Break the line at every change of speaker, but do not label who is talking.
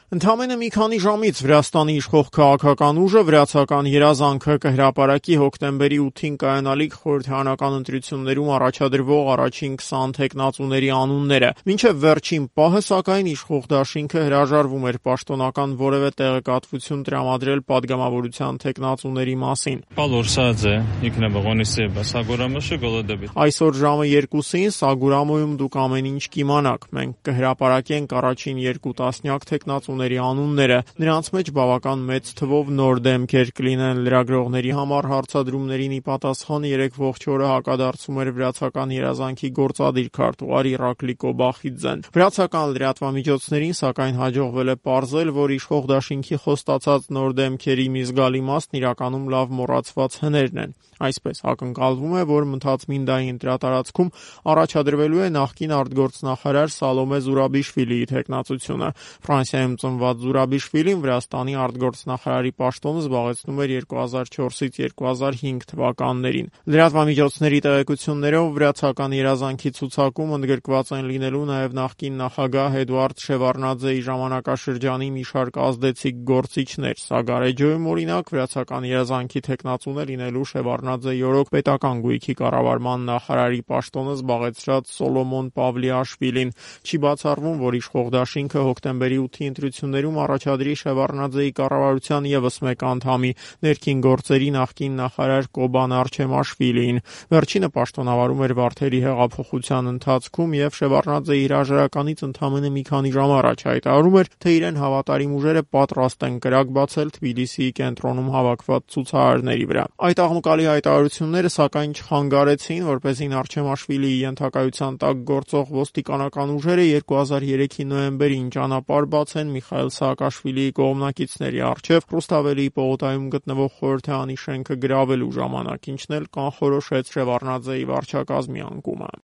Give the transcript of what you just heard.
Ընդամենը մի քանի ժամից Վրաստանի իշխող քաղաքական ուժը վրացական երազանքը կհրապարակի հոկտեմբերի 8-ին կայանալիք խորհրդարանական ընտրություններում առաջադրվող առաջին 20 թեկնածուների անունները։ Մինչև վերջին պահը, սակայն, իշխող դաշինքը հրաժարվում էր պաշտոնական որևէ տեղեկատվություն տրամադրել падգամավորության թեկնածուների մասին։ Այսօր ժամը 2-ին Սագուրամոյում դուք ամեն ինչ կիմանաք։ Մենք կհրապարակենք առաջին 2 տասնյակ թեկնածուների անունները, նրանց մեջ բավական մեծ թվով նոր դեմքեր կլինեն։ Լրագրողների համար հարցադրումներին ի պատասխան 3 ողջ օրը հակադարձում էր վրացական երազանքի գործադիր քարտուղար Իռակլի Կոբախիձեն։ Վրացական լրատվամիջոցներին, սակայն, հաջողվել է պարզել, որ իշխող դաշինքի խոստացած նոր դեմքերի մի զգալի մասն իրականում լավ մոռացված հներն են։ Այսպես ակնկալվում է, որ Մնթաց-Մինդայի ընտրատարածքում առաջադրվելու է նախկին արտգործնախարար Սալոմե Զուրաբիշվիլիի թեկնածությունը։ Ֆրանսիայում ծնված Զուրաբիշվիլին Վրաստանի արտգործնախարարի պաշտոնը զբաղեցնում էր 2004-ից 2005 թվականներին։ Լրատվամիջոցների տեղեկություններով վրացական երազանքի ցուցակում ընդգրկված են լինելու նաև նախկին նախագահ Էդուարդ Շևարդնաձեի ժամանակաշրջանի մի շարք ազդեցիկ գործիչներ։ Սագարեջոյում, օրինակ, վրացական երազանքի թեկնածուն է լինելու Շևարդնաձեի օրոք պետական գույքի կառավարման նախարարի պաշտոնը զբաղեցրած Սոլոմոն Պավլիաշվիլին։ Չի բացառվում, որ իշխող դաշինքը հոկտեմբերի 8-ի ընտրություններում առաջադրի Շևարդնաձեի կառավարության ևս մեկ անդամի, ներքին գործերի նախկին նախարար Կոբան Արչեմաշվիլիին։ Վերջինը պաշտոնավարում էր Վարդերի հեղափոխության ընթացքում և Շևարդնաձեի հրաժարականից ընդամենը մի քանի ժամ առաջ հայտարարում էր, թե իրեն հավատարիմ ուժերը պատրաստ են կրակ բացել Թբիլիսիի կենտրոնում հավաքված ցուցարարների վրա։ Այդ աղմկալի հայտարարությունները, սակայն, չխանգարեցին, որպեսզի Արչեմաշվիլիի ենթակայության տակ գործող ոստիկանական ուժերը 2003-ի նոյեմբերին ճանապարհ բացեն Միխայիլ Սաակաշվիլիի կողմնակիցների առջև Ռուսթավելիի պողոտայում գտնվող խորհրդարանի շենքը գրավելու ժամանակ, ինչն էլ կանխորոշեց Շևարդնաձեի վարչակազմի անկումը։